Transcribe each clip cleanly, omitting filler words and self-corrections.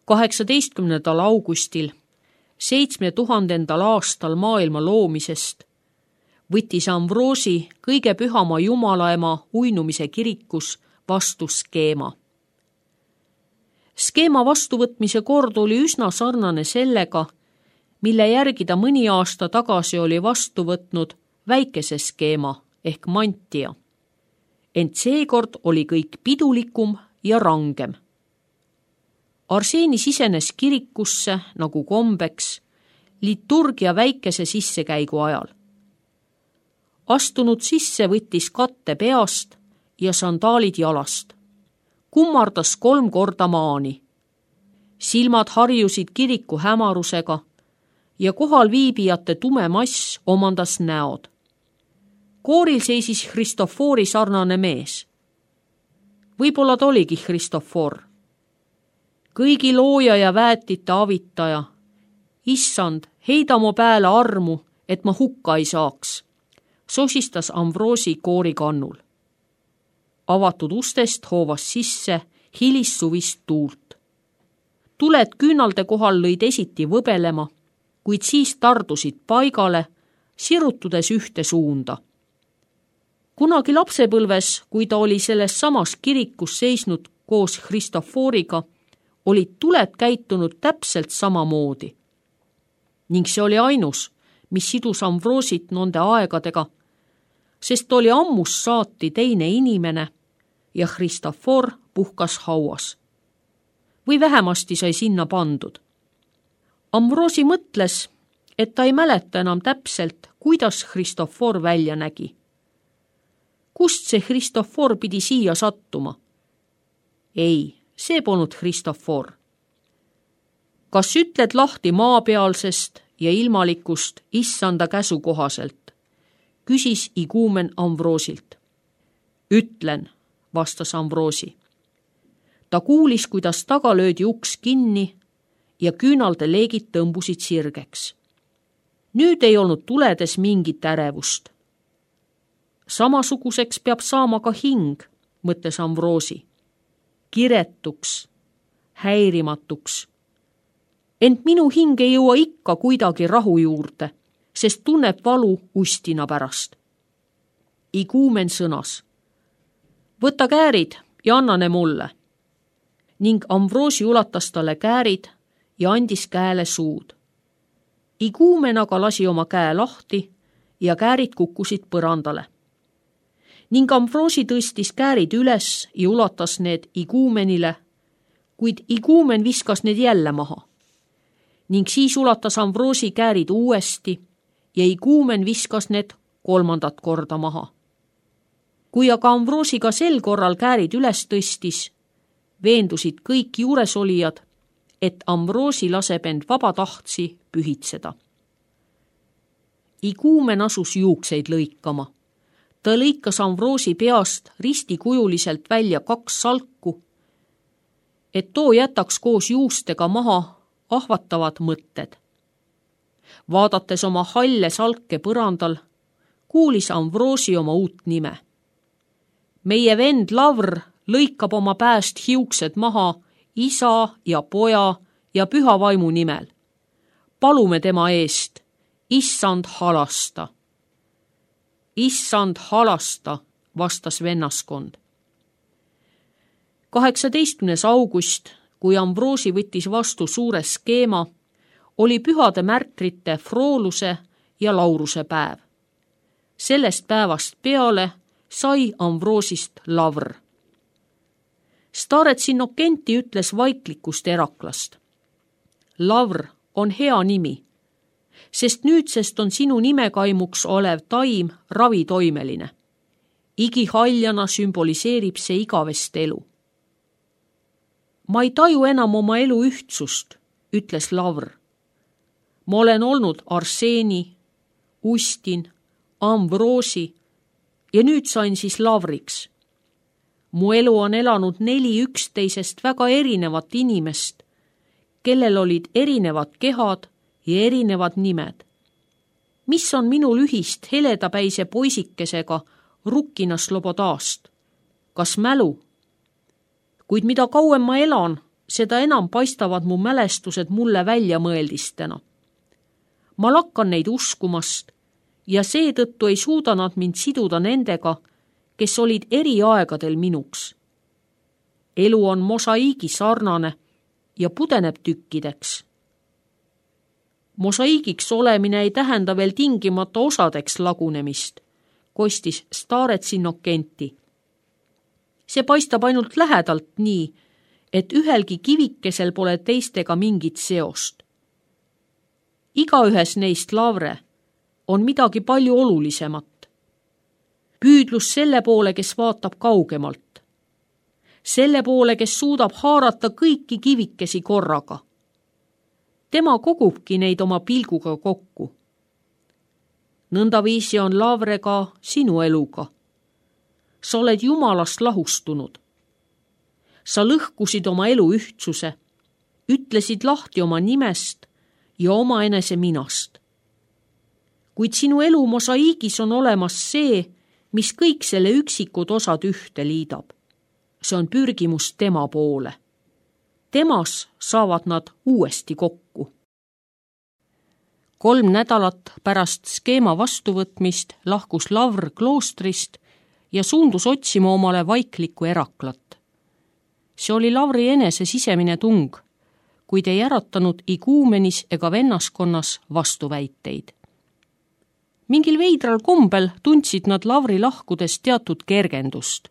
18. augustil 7000. aastal maailma loomisest võttis Amvroosi kõige pühama Jumalaema uinumise kirikus vastu skeema. Skeema vastuvõtmise kord oli üsna sarnane sellega, mille järgi ta mõni aasta tagasi oli vastu võtnud väikese skeema ehk mantia. Ent seekord oli kõik pidulikum ja rangem. Arseeni sisenes kirikusse nagu kombeks liturgia väikese sissekäigu ajal. Astunud sisse võttis katte peast ja sandaalid jalast. Kummardas 3 korda maani. Silmad harjusid kiriku hämarusega ja kohal viibijate tume mass omandas näod. Kooril seisis Christofori sarnane mees. Võib-olla ta oligi Christofor. Kõigi looja ja väetite avitaja. Issand, heida mu pääle armu, et ma hukka ei saaks, sosistas Amvroosi koori kannul. Avatud ustest hoovas sisse hilissuvist tuult. Tuled küünalde kohal lõid esiti võbelema, kuid siis tardusid paigale, sirutudes ühte suunda. Kunagi lapsepõlves, kui ta oli selles samas kirikus seisnud koos Christoforiga, olid tuled käitunud täpselt samamoodi. Ning see oli ainus, mis sidus Amvroosit nende aegadega, sest oli ammus saati teine inimene ja Christofor puhkas hauas. Või vähemasti sai sinna pandud. Amvroosi mõtles, et ta ei mäleta enam täpselt, kuidas Christofor välja nägi. Kust see Christofor pidi siia sattuma? Ei, see polnud Christofor. Kas ütled lahti maapealsest ja ilmalikust issanda käsu kohaselt? Küsis iguumen Amvroosilt. Ütlen, vastas Amvroosi. Ta kuulis, kuidas taga löödi uks kinni ja küünalde leegid tõmbusid sirgeks. Nüüd ei olnud tuledes mingit ärevust. Samasuguseks peab saama ka hing, mõtles Amvroosi. Kiretuks, häirimatuks. Ent minu hing ei jõua ikka kuidagi rahu juurde, sest tunneb valu ustina pärast. Iguumen sõnas. Võta käärid ja anna ne mulle. Ning Amvroosi ulatas talle käärid ja andis käele suud. Iguumen aga lasi oma käe lahti ja käärid kukkusid põrandale. Ning Amvroosi tõstis käärid üles ja ulatas need iguumenile, kuid iguumen viskas need jälle maha. Ning siis ulatas Amvroosi käärid uuesti ja iguumen viskas need 3. korda maha. Kui aga Amvroosi ka sel korral käärid üles tõstis, veendusid kõik juuresolijad, et Amvroosi laseb end vabatahtsi pühitseda. Iguumen asus juukseid lõikama. Ta lõikas Amvroosi peast ristikujuliselt välja 2 salku, et too jätaks koos juustega maha ahvatavad mõtted. Vaadates oma halle salke põrandal, kuulis Amvroosi oma uut nime. Meie vend Lavr lõikab oma pääst hiuksed maha isa ja poja ja püha vaimu nimel. Palume tema eest, issand halasta. Issand halasta, vastas vennaskond. 18. august, kui Amvroosi võttis vastu suure skeema, oli pühade märtrite Frooluse ja Lauruse päev. Sellest päevast peale sai Amvroosist Lavr. Starets Innokenti ütles vaiklikust Eraklast. Lavr on hea nimi, sest nüüdsest on sinu nimekaimuks olev taim ravitoimeline. Igihaljana sümboliseerib see igavest elu. Ma ei taju enam oma elu ühtsust, ütles Lavr. Ma olen olnud Arseeni, Ustin, Amvroosi ja nüüd sain siis Lavriks. Mu elu on elanud 4 üksteisest väga erinevat inimest, kellel olid erinevad kehad ja erinevad nimed. Mis on minul ühist heledapäise poisikesega Rukkina Slobodast? Kas mälu? Kuid mida kauem ma elan, seda enam paistavad mu mälestused mulle väljamõeldistena. Ma lakkan neid uskumast ja seetõttu ei suuda nad mind siduda nendega, kes olid eri aegadel minuks. Elu on mosaiigi sarnane ja pudeneb tükkideks. Mosaiigiks olemine ei tähenda veel tingimata osadeks lagunemist, kostis Starets Innokenti. See paistab ainult lähedalt nii, et ühelgi kivikesel pole teistega mingit seost. Igaühes neist, Lavre, on midagi palju olulisemat. Püüdlus selle poole, kes vaatab kaugemalt. Selle poole, kes suudab haarata kõiki kivikesi korraga. Tema kogubki neid oma pilguga kokku. Nõndaviisi on, Lavre, ka sinu eluga. Sa oled Jumalast lahustunud. Sa lõhkusid oma elu ühtsuse, ütlesid lahti oma nimest ja omaenese minast. Kuid sinu elu mosaiigis on olemas see, mis kõik selle üksikud osad ühte liidab. See on pürgimus tema poole. Temas saavad nad uuesti kokku. 3 nädalat pärast skeema vastuvõtmist lahkus Lavr kloostrist ja suundus otsima omale vaiklikku eraklat. See oli Lavri enese sisemine tung, kuid ei äratanud iguumenis ega vennaskonnas vastuväiteid. Mingil veidral kombel tundsid nad Lavri lahkudes teatud kergendust,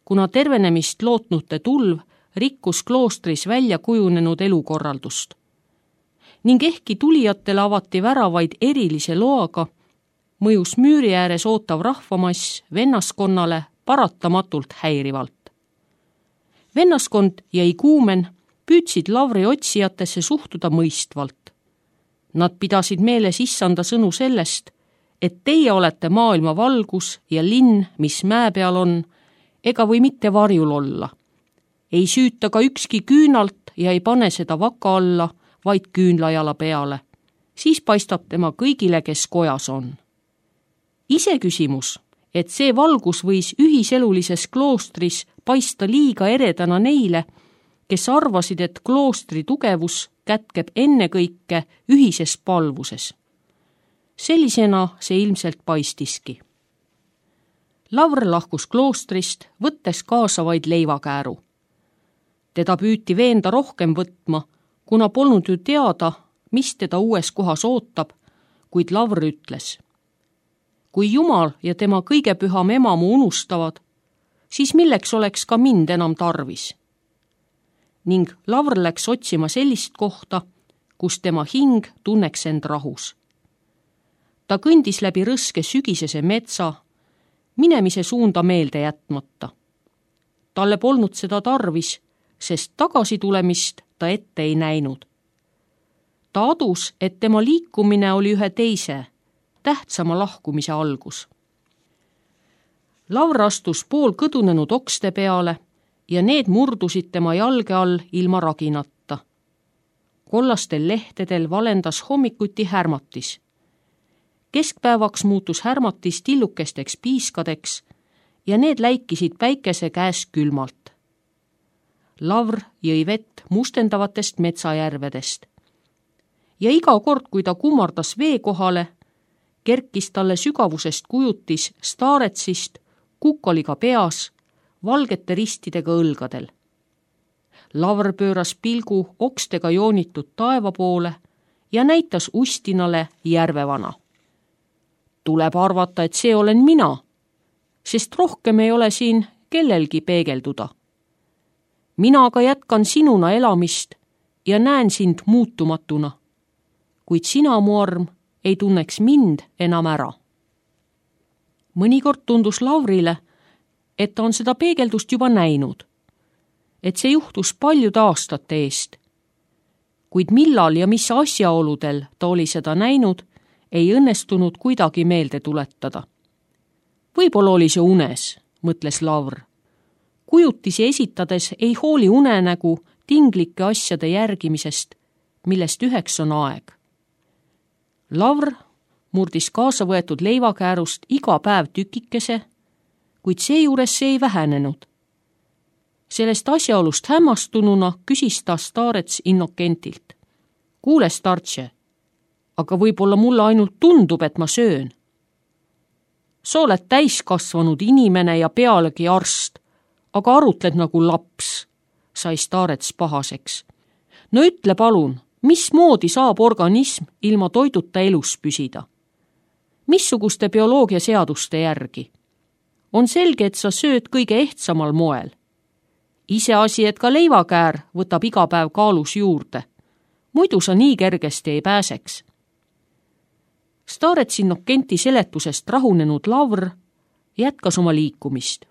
kuna tervenemist lootnute tulv rikkus kloostris välja kujunenud elukorraldust. Ning ehkki tulijatele avati väravaid erilise loaga, mõjus müüri ääres ootav rahvamass vennaskonnale paratamatult häirivalt. Vennaskond ja iguumen püüdsid Lavri otsijatesse suhtuda mõistvalt. Nad pidasid meeles issanda sõnu sellest, et teie olete maailma valgus ja linn, mis mäe peal on, ega või mitte varjul olla. Ei süüta ka ükski küünalt ja ei pane seda vaka alla, vaid küünlajala peale. Siis paistab tema kõigile, kes kojas on. Iseküsimus, et see valgus võis ühiselulises kloostris paista liiga eredana neile, kes arvasid, et kloostri tugevus kätkeb ennekõike ühises palvuses. Sellisena see ilmselt paistiski. Lavr lahkus kloostrist, võttes kaasa vaid leivakääru. Teda püüti veenda rohkem võtma, kuna polnud ju teada, mis teda uues kohas ootab, kuid Lavr ütles: kui Jumal ja tema kõige püham ema mu unustavad, siis milleks oleks ka mind enam tarvis? Ning Lavr läks otsima sellist kohta, kus tema hing tunneks end rahus. Ta kõndis läbi rõske sügisese metsa, minemise suunda meelde jätmata. Talle polnud seda tarvis, sest tagasitulemist ta ette ei näinud. Ta adus, et tema liikumine oli ühe teise, tähtsama lahkumise algus. Lavr astus pool kõdunenud okste peale ja need murdusid tema jalge all ilma raginata. Kollastel lehtedel valendas hommikuti härmatis. Keskpäevaks muutus härmatis tillukesteks piiskadeks ja need läikisid päikese käes külmalt. Lavr jõi vett mustendavatest metsajärvedest. Ja iga kord, kui ta kummardas vee kohale, kerkis talle sügavusest kujutis Staretsist kukkoliga peas, valgete ristidega õlgadel. Lavr pööras pilgu okstega joonitud taeva poole ja näitas Ustinale järvevana. Tuleb arvata, et see olen mina, sest rohkem ei ole siin kellelgi peegelduda. Mina aga jätkan sinuna elamist ja näen sind muutumatuna, kuid sina, mu arm, ei tunneks mind enam ära. Mõnikord tundus Lavrile, et ta on seda peegeldust juba näinud, et see juhtus paljude aastate eest. Kuid millal ja mis asjaoludel ta oli seda näinud, ei õnnestunud kuidagi meelde tuletada. Võib-olla oli see unes, mõtles Lavr. Kujutisi esitades ei hooli unenägu tinglike asjade järgimisest, millest üheks on aeg. Lavr murdis kaasa võetud leivakäärust iga päev tükikese, kuid seejuures see ei vähenenud. Sellest asjaolust hämmastununa küsis ta staarets Innokentilt. Kuule, startše, aga võib-olla mulle ainult tundub, et ma söön. Sa oled täiskasvanud inimene ja pealegi arst, aga arutled nagu laps, sai staarets pahaseks. No ütle palun, mismoodi saab organism ilma toiduta elus püsida? Missuguste bioloogia seaduste järgi? On selge, et sa sööd kõige ehtsamal moel. Iseasi, et ka leivakäär võtab iga päev kaalus juurde. Muidu sa nii kergesti ei pääseks. Staarets Innokenti seletusest rahunenud Lavr jätkas oma liikumist.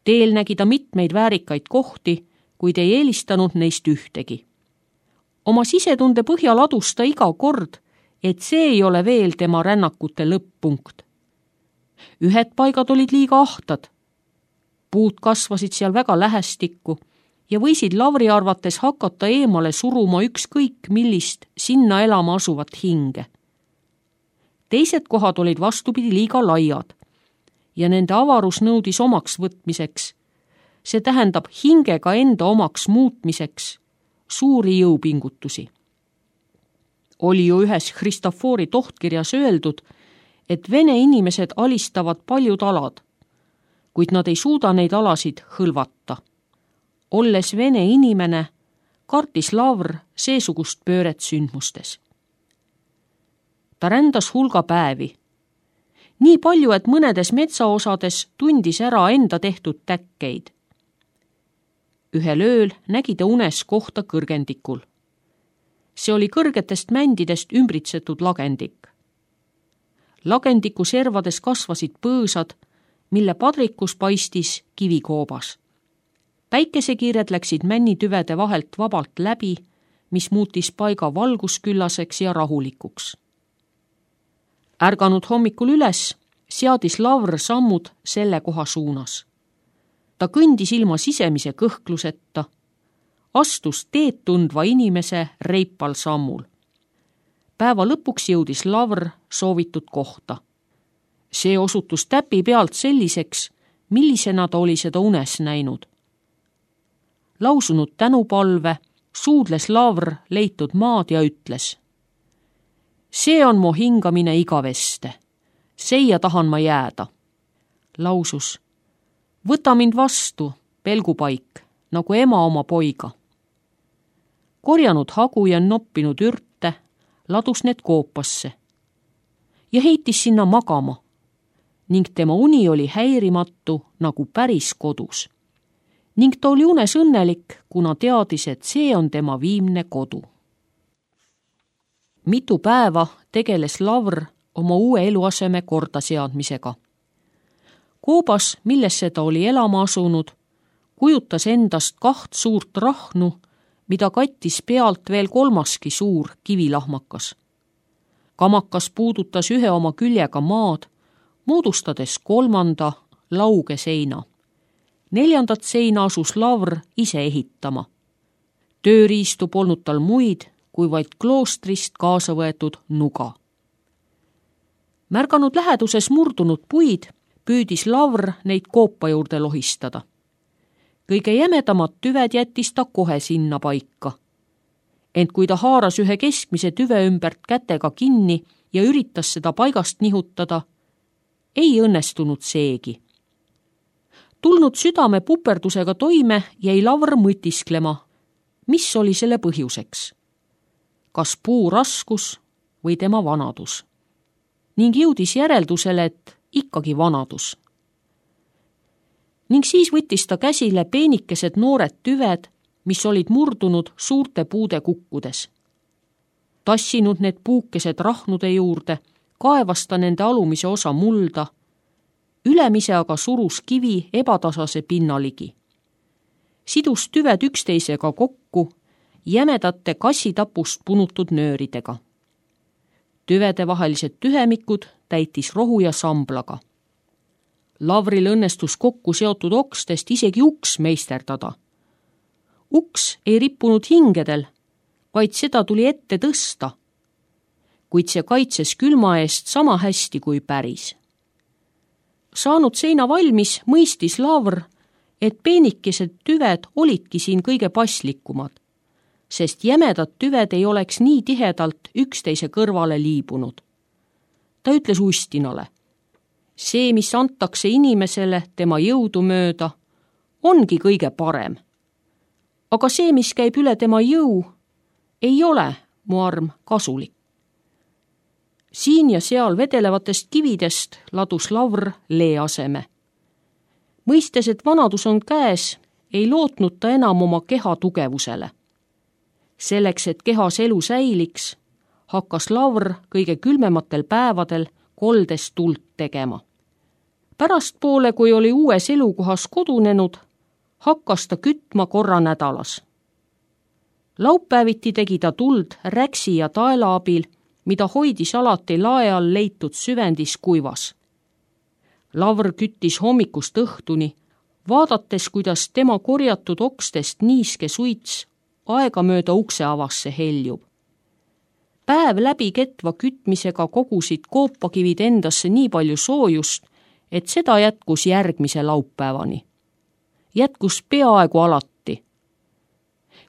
Teel nägi ta mitmeid väärikaid kohti, kuid ei eelistanud neist ühtegi. Oma sisetunde põhjal adus ta iga kord, et see ei ole veel tema rännakute lõpp-punkt. Ühed paigad olid liiga ahtad. Puud kasvasid seal väga lähestikku ja võisid Lavri arvates hakata eemale suruma ükskõik millist sinna elama asuvat hinge. Teised kohad olid vastupidi liiga laiad ja nende avarus nõudis omaks võtmiseks, see tähendab hingega enda omaks muutmiseks, suuri jõupingutusi. Oli ju ühes Christofori tohtkirjas öeldud, et vene inimesed alistavad paljud alad, kuid nad ei suuda neid alasid hõlvata. Olles vene inimene, kartis Lavr seesugust pööret sündmustes. Ta rändas hulga päevi. Nii palju, et mõnedes metsaosades tundis ära enda tehtud täkkeid. Ühel ööl nägi ta unes kohta kõrgendikul. See oli kõrgetest mändidest ümbritsetud lagendik. Lagendiku servades kasvasid põõsad, mille padrikus paistis kivikoobas. Päikesekiired läksid männitüvede vahelt vabalt läbi, mis muutis paiga valgusküllaseks ja rahulikuks. Ärganud hommikul üles, seadis Lavr sammud selle koha suunas. Ta kõndis ilma sisemise kõhkluseta, astus teed tundva inimese reipal sammul. Päeva lõpuks jõudis Lavr soovitud kohta. See osutus täpi pealt selliseks, millisena ta oli seda unes näinud. Lausunud tänupalve suudles Lavr leitud maad ja ütles: see on mu hingamine igaveste, seia tahan ma jääda. Lausus: võta mind vastu, pelgupaik, nagu ema oma poiga. Korjanud hagu ja noppinud ürte, ladus need koopasse ja heitis sinna magama ning tema uni oli häirimatu nagu päris kodus. Ning ta oli unes õnnelik, kuna teadis, et see on tema viimne kodu. Mitu päeva tegeles Lavr oma uue eluaseme kordaseadmisega. Koobas, millesse ta oli elama asunud, kujutas endast 2 suurt rahnu, mida kattis pealt veel 3. suur kivilahmakas. Kamakas puudutas ühe oma küljega maad, moodustades 3. lauge seina. 4. seina asus Lavr ise ehitama. Tööriistu polnud tal muid, kui vaid kloostrist kaasa võetud nuga. Märganud läheduses murdunud puid, püüdis Lavr neid koopa juurde lohistada. Kõige jämedamad tüved jättis ta kohe sinna paika. Ent kui ta haaras ühe keskmise tüve ümbert kätega kinni ja üritas seda paigast nihutada, ei õnnestunud seegi. Tulnud südame puperdusega toime jäi Lavr mõtisklema, mis oli selle põhjuseks. Kas puu raskus või tema vanadus. Ning jõudis järeldusele, et ikkagi vanadus. Ning siis võttis ta käsile peenikesed noored tüved, mis olid murdunud suurte puude kukkudes. Tassinud need puukesed rahnude juurde, kaevas ta nende alumise osa mulda, ülemise aga surus kivi ebatasase pinna ligi. Sidus tüved üksteisega kokku jämedate kassitapust punutud nööridega. Tüvede vahelised tühemikud täitis rohu ja samblaga. Lavril õnnestus kokku seotud okstest isegi uks meisterdada. Uks ei rippunud hingedel, vaid seda tuli ette tõsta, kuid see kaitses külma eest sama hästi kui päris. Saanud seina valmis, mõistis Lavr, et peenikesed tüved olidki siin kõige paslikumad, sest jämedad tüved ei oleks nii tihedalt üksteise kõrvale liibunud. Ta ütles Ustinale, see, mis antakse inimesele tema jõudu mööda, ongi kõige parem. Aga see, mis käib üle tema jõu, ei ole, mu arm, kasulik. Siin ja seal vedelevatest kividest ladus Lavr lee aseme. Mõistes, et vanadus on käes, ei lootnud ta enam oma keha tugevusele. Selleks, et kehas elu säiliks, hakkas Lavr kõige külmematel päevadel koldes tuld tegema. Pärastpoole, kui oli uues elukohas kodunenud, hakkas ta kütma korra nädalas. Laupäeviti tegi ta tuld räksi ja taela abil, mida hoidis alati lae all leitud süvendis kuivas. Lavr küttis hommikust õhtuni, vaadates, kuidas tema korjatud okstest niiske suits aegamööda ukse avasse heljub. Päev läbi ketva kütmisega kogusid koopakivid endasse nii palju soojust, et seda jätkus järgmise laupäevani. Jätkus peaaegu alati.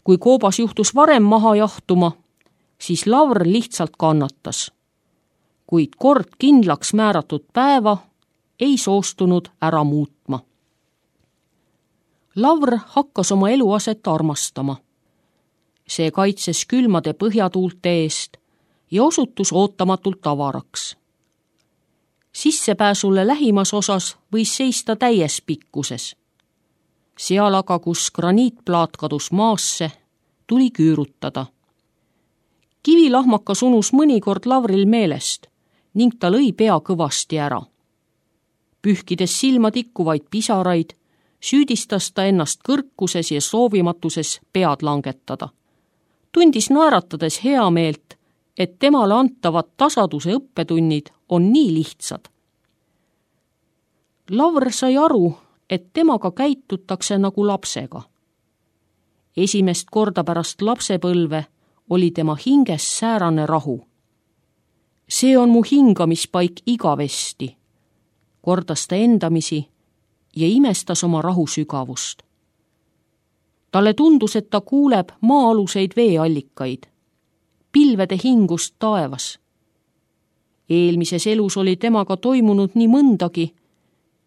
Kui koobas juhtus varem maha jahtuma, siis Lavr lihtsalt kannatas. Kuid kord kindlaks määratud päeva ei soostunud ära muutma. Lavr hakkas oma eluaset armastama. See kaitses külmade põhjatuulte eest ja osutus ootamatult avaraks. Sissepääsule lähimas osas võis seista täies pikkuses. Seal aga, kus graniitplaat kadus maasse, tuli küürutada. Kivilahmakas unus mõnikord Lavril meelest ning ta lõi pea kõvasti ära. Pühkides silma tikkuvaid pisaraid, süüdistas ta ennast kõrkuses ja soovimatuses pead langetada. Tundis naeratades heameelt, et temale antavad tasaduse õppetunnid on nii lihtsad. Lavr sai aru, et temaga käitutakse nagu lapsega. Esimest korda pärast lapsepõlve oli tema hinges säärane rahu. See on mu hingamispaik igavesti, kordas ta endamisi ja imestas oma rahu sügavust. Talle tundus, et ta kuuleb maa-aluseid veeallikaid, pilvede hingust taevas. Eelmises elus oli temaga toimunud nii mõndagi,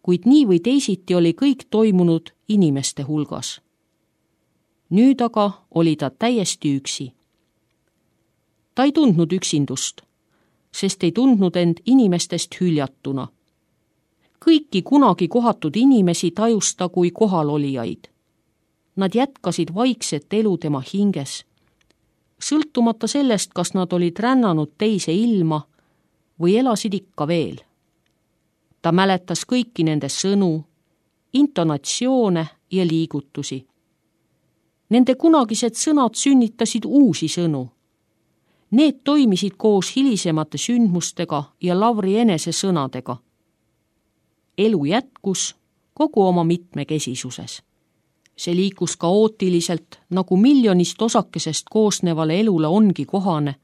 kuid nii või teisiti oli kõik toimunud inimeste hulgas. Nüüd aga oli ta täiesti üksi. Ta ei tundnud üksindust, sest ei tundnud end inimestest hüljatuna. Kõiki kunagi kohatud inimesi tajus ta kui kohalolijaid. Nad jätkasid vaikset elu tema hinges, sõltumata sellest, kas nad olid rännanud teise ilma või elasid ikka veel. Ta mäletas kõiki nende sõnu, intonatsioone ja liigutusi. Nende kunagised sõnad sünnitasid uusi sõnu. Need toimisid koos hilisemate sündmustega ja Lavri enese sõnadega. Elu jätkus kogu oma mitmekesisuses. See liikus kaootiliselt, nagu miljonist osakesest koosnevale elule ongi kohane,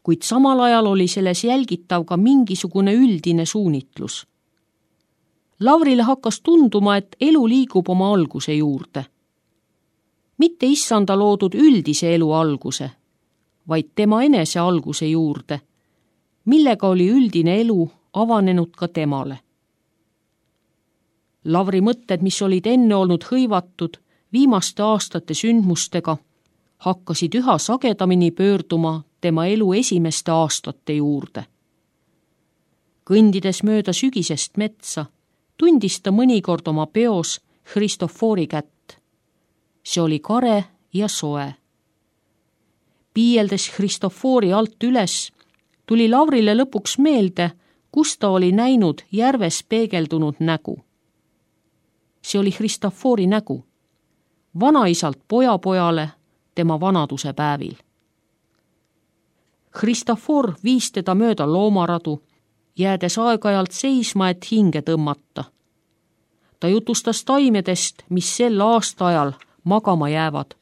kuid samal ajal oli selles jälgitav ka mingisugune üldine suunitlus. Lavrile hakkas tunduma, et elu liigub oma alguse juurde. Mitte issanda loodud üldise elu alguse, vaid tema enese alguse juurde, millega oli üldine elu avanenud ka temale. Lavri mõtted, mis olid enne olnud hõivatud viimaste aastate sündmustega, hakkasid üha sagedamini pöörduma tema elu esimeste aastate juurde. Kõndides mööda sügisest metsa, tundis ta mõnikord oma peos Christophori kätt. See oli kare ja soe. Piieldes Christophori alt üles, tuli Lavrile lõpuks meelde, kus ta oli näinud järves peegeldunud nägu. See oli Christophori nägu, vanaisalt pojapojale tema vanaduse päevil. Christophor viis teda mööda loomaradu, jäädes aeg-ajalt seisma, et hinge tõmmata. Ta jutustas taimedest, mis sel aastaajal magama jäävad,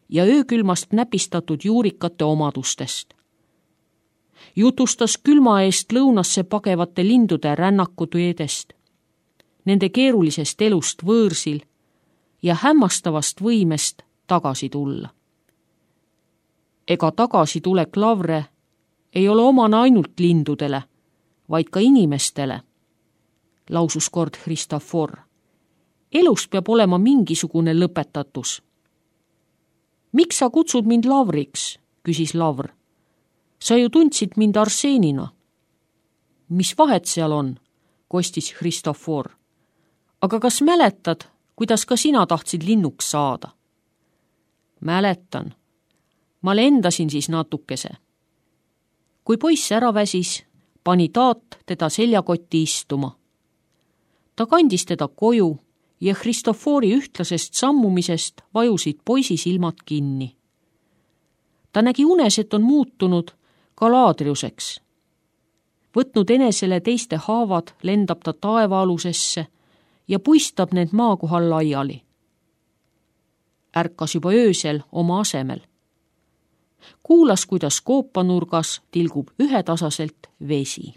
ja öökülmast näpistatud juurikate omadustest. Jutustas külma eest lõunasse pagevate lindude rännakuteedest, nende keerulisest elust võõrsil ja hämmastavast võimest tagasi tulla. Ega tagasitulek Lavre ei ole omane ainult lindudele, vaid ka inimestele, lausus kord Christofor. Elus peab olema mingisugune lõpetatus. Miks sa kutsud mind Lavriks, küsis Lavr. Sa ju tundsid mind Arseenina. Mis vahet seal on, kostis Christofor. Aga kas mäletad, kuidas ka sina tahtsid linnuks saada? Mäletan. Ma lendasin siis natukese. Kui poiss ära väsis, pani taat teda seljakotti istuma. Ta kandis teda koju ja Christofori ühtlasest sammumisest vajusid poisi silmad kinni. Ta nägi unes, et on muutunud Galadriuseks. Võtnud enesele teiste haavad, lendab ta taevaalusesse ja puistab need maa kohal laiali. Ärkas juba öösel oma asemel. Kuulas, kuidas koopanurgas tilgub ühetasaselt vesi.